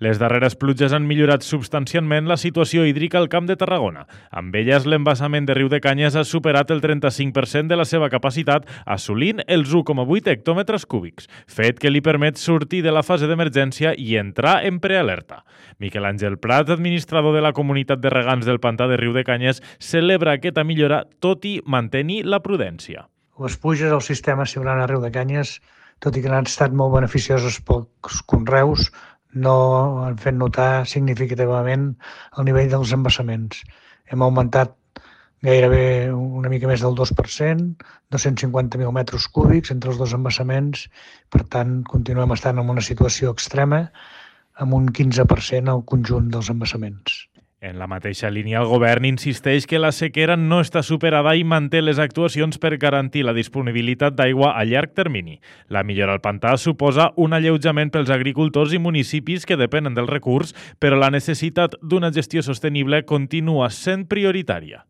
Les darreres pluges han millorat substancialment la situació hídrica al Camp de Tarragona. Amb elles, l'embassament de Riu de Canyes ha superat el 35% de la seva capacitat, assolint els 1,8 hectòmetres cúbics, fet que li permet sortir de la fase d'emergència i entrar en prealerta. Miquel Àngel Prat, administrador de la comunitat de regants del pantà de Riu de Canyes, celebra aquesta millora, tot i mantenir la prudència. Les pluges al sistema Siurana Riu de Canyes, tot i que han estat molt beneficioses pels conreus, no han fet notar significativament el nivell dels embassaments. Hem augmentat gairebé una mica més del 2%, 250.000 metres cúbics entre els dos embassaments. Per tant, continuem estant en una situació extrema, amb un 15% al conjunt dels embassaments. En la mateixa línia, el govern insisteix que la sequera no està superada i manté les actuacions per garantir la disponibilitat d'aigua a llarg termini. La millora al pantà suposa un alleujament pels agricultors i municipis que depenen del recurs, però la necessitat d'una gestió sostenible continua sent prioritària.